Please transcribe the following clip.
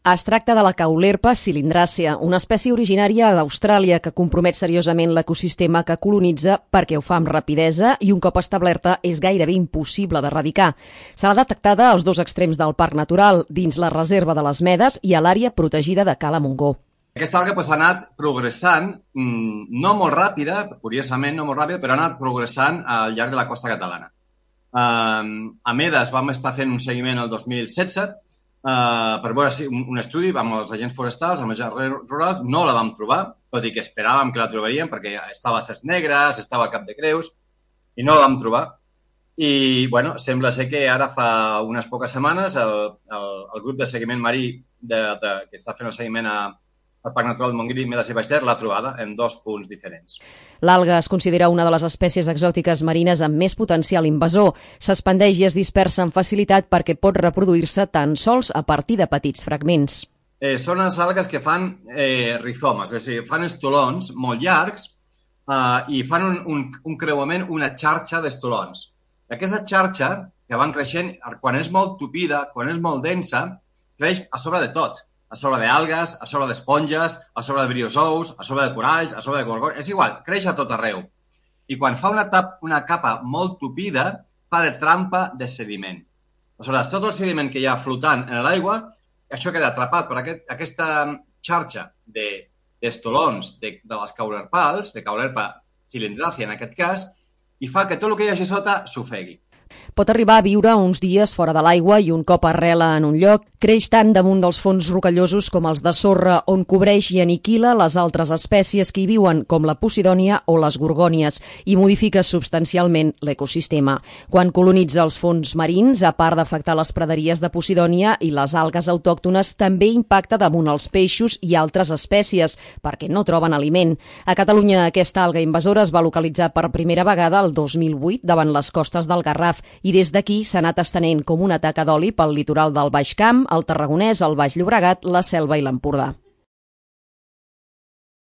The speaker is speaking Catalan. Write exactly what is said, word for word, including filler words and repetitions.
Es tracta de la caulerpa cilindracea, una espècie originària d'Austràlia que compromet seriosament l'ecosistema que colonitza perquè ho fa amb rapidesa i un cop establerta és gairebé impossible d'erradicar. Se l'ha detectada als dos extrems del parc natural, dins la reserva de les Medes i a l'àrea protegida de Cala Montgó. Aquesta alga pues, ha anat progressant, no molt ràpida, curiosament no molt ràpida, però ha anat progressant al llarg de la costa catalana. Uh, a Medes vam estar fent un seguiment el dos mil setze Uh, per veure si un, un estudi amb els agents forestals, amb els agents rurals, no la vam trobar, tot i que esperàvem que la trobaríem perquè estava a Ses Negres, estava a Cap de Creus, i no la vam trobar. I, bueno, sembla ser que ara fa unes poques setmanes el, el, el grup de seguiment marí de, de, que està fent el seguiment a, al Parc Natural de Montgrí, Medes i Baix Ter, l'ha trobada en dos punts diferents. L'alga es considera una de les espècies exòtiques marines amb més potencial invasor. S'expandeix i es dispersa amb facilitat perquè pot reproduir-se tan sols a partir de petits fragments. Eh, són les algues que fan eh, rizomes, és a dir, fan estolons molt llargs eh, i fan un, un, un creuament, una xarxa d'estolons. Aquesta xarxa, que van creixent, quan és molt tupida, quan és molt densa, creix a sobre de tot. A sobre d'algues, a sobre d'esponges, a sobre de briozous, a sobre de coralls, a sobre de gorgons... És igual, creix a tot arreu. I quan fa una, tap, una capa molt tupida, fa de trampa de sediment. Aleshores, tot el sediment que hi ha flotant en l'aigua, això queda atrapat per aquest, aquesta xarxa d'estolons de, de, de les caulerpals, de caulerpa cilindracea en aquest cas, i fa que tot el que hi hagi sota s'ofegui. Pot arribar a viure uns dies fora de l'aigua i un cop arrela en un lloc, creix tant damunt dels fons rocallosos com els de sorra, on cobreix i aniquila les altres espècies que hi viuen, com la posidònia o les gorgònies, i modifica substancialment l'ecosistema. Quan colonitza els fons marins, a part d'afectar les praderies de posidònia i les algues autòctones, també impacta damunt els peixos i altres espècies, perquè no troben aliment. A Catalunya, aquesta alga invasora es va localitzar per primera vegada el dos mil vuit davant les costes del Garraf, i des d'aquí s'ha anat estenent com una taca d'oli pel litoral del Baix Camp, el Tarragonès, el Baix Llobregat, la Selva i l'Empordà.